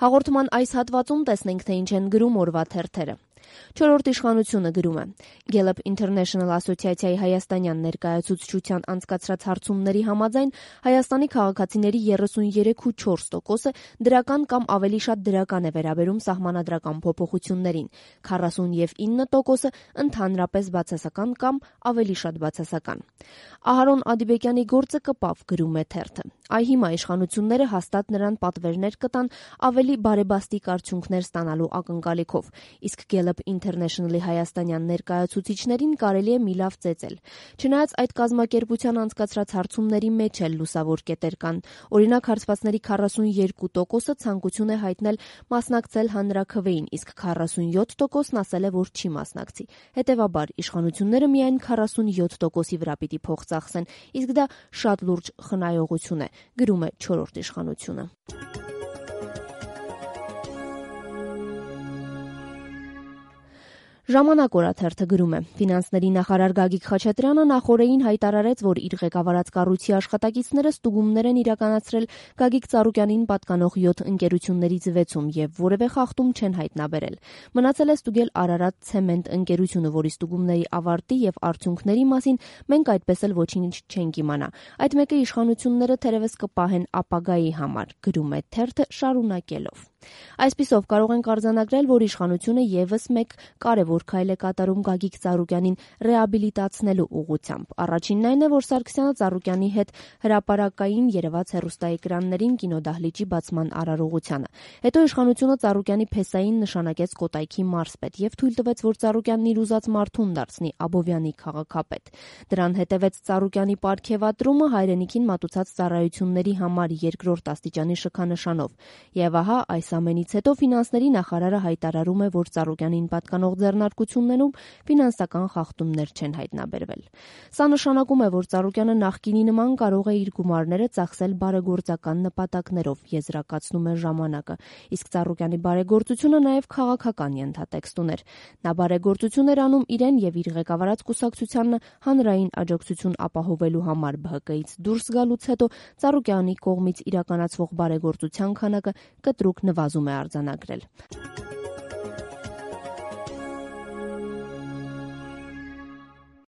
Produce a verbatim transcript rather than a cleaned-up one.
Հաղորդման այս հատվածում տեսնենք, թե ինչ են գրում օրվա թերթերը։ Չորրորդ իշխանությունը գրում է. Gallup International ասոցիացիայի հայաստանյան ներկայացուցչության անցկացրած հարցումների համաձայն Հայաստանի քաղաքացիների երեսուններեք փոխ չորս տոկոսը դրական կամ ավելի շատ դրական է վերաբերում սահմանադրական փոփոխություններին, քառասունինը տոկոսը ընդհանրապես բացասական կամ ավելի շատ բացասական։ Ահարոն Ադիբեկյանի գործը կպավ, գրում է թերթը։ Այ հիմա իշխանությունները հաստատ նրան պատվերներ կտան ավելի բարեբաստիկ արդյունքներ ստանալու ակնկալիքով, իսկ Gallup International-ի հայաստանյան ներկայացուցիչներին կարելի է մի լավ ծեծել։ Չնայած այդ կազմակերպության անցկացրած հարցումների մեջ էլ լուսավոր կետեր կան։ Օրինակ, հարցվածների քառասունյոթ տոկոսը ցանկություն է հայտնել մասնակցել հանրաքվեին, իսկ քառասունյոթ տոկոսն ասել է, որ չի մասնակցի։ Հետևաբար, իշխանությունները միայն քառասունյոթ տոկոսի վրա պիտի փող ծախսեն, իսկ դա շատ լուրջ խնայողություն է, գրում է չորրորդ իշխանությունը։ Ժամանակ օրաթերթը գրում է. Ֆինանսների նախարար Գագիկ Խաչատրյանը նախօրեին հայտարարեց, որ իր ղեկավարած կառույցի աշխատակիցները ստուգումներ են իրականացրել Գագիկ Ծառուկյանին պատկանող յոթ ընկերություններից վեցում եւ որևէ խախտում չեն հայտնաբերել։ Մնացել է ստուգել Արարատ ցեմենտ ընկերությունը, որի ստուգումների ավարտի եւ արդյունքների մասին մենք այդպես էլ ոչինչ չենք իմանա։ Այդ մեկը իշխանությունները թերևս կպահեն ապագայի համար, գրում է թերթը շարունակելով։ Այսպիսով կարող ենք արձանագրել, որ իշխանությունը եւս մեկ կարևոր քայլ է կատարում Գագիկ Ծառուկյանին ռեաբիլիտացնելու ուղղությամբ։ Առաջինն այն է, որ Սարգսյանը Ծառուկյանի հետ հրապարակային երևաց հեռուստաէկրաններին կինոդահլիճի բացման արարողությանը։ Հետո իշխանությունը Ծառուկյանի փեսային նշանակեց Կոտայքի մարզպետ եւ թույլ տվեց, որ Ծառուկյանն իր ուզած մարդուն դարձնի Աբովյանի քաղաքապետ։ Դրան հետևեց Ծառուկյանի պարգևատրումը հայրենիքին մատուցած ծառայությունների համար երկրորդ աստիճանի շքանշանով։ Եվ ահա այս ամենից հետո ֆինանսների նախարարը հայտարարում է, որ Ծառուկյանին պատկանող ձեռնարկություններում ֆինանսական խախտումներ չեն հայտնաբերվել։ Սա նշանակում է, որ Ծառուկյանը նախկինի նման կարող է իր գումարները ծախսել բարեգործական նպատակներով, եզրակացնում է ժամանակը, իսկ Ծառուկյանի բարեգործությունը նաև քաղաքական ենթատեքստ ուներ։ Նա բարեգործություն էր անում իրեն եւ իր ղեկավարած կուսակցությանը հանրային աջակցություն ապահովելու համար Բ Հ Կ-ից դուրս գալուց հետո Ծառուկյանի կողմից իրականացվող բարեգործության քանակը կտրուկ նվազում է արձանագրել։